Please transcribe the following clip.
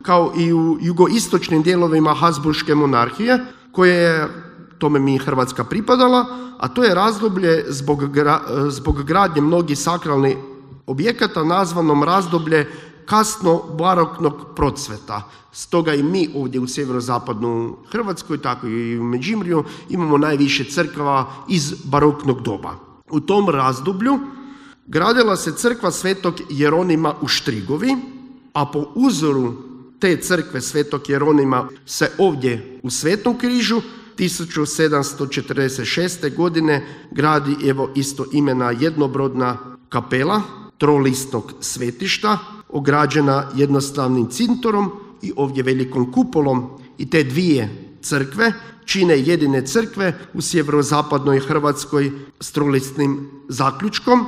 kao i u jugoistočnim dijelovima Habsburške monarhije, koje je, tome mi Hrvatska pripadala, a to je razdoblje zbog gradnje mnogih sakralnih objekata nazvanom razdoblje kasno baroknog procveta. Stoga i mi ovdje u sjeverozapadnoj Hrvatskoj, tako i u Međimurju, imamo najviše crkava iz baroknog doba. U tom razdoblju gradila se crkva Svetog Jeronima u Štrigovi, a po uzoru te crkve Svetog Jeronima se ovdje u Svetom Križu 1746. godine gradi isto imena jednobrodna kapela trolistnog svetišta, ograđena jednostavnim cintorom i ovdje velikom kupolom, i te dvije crkve čine jedine crkve u sjeverozapadnoj Hrvatskoj s trolistnim zaključkom,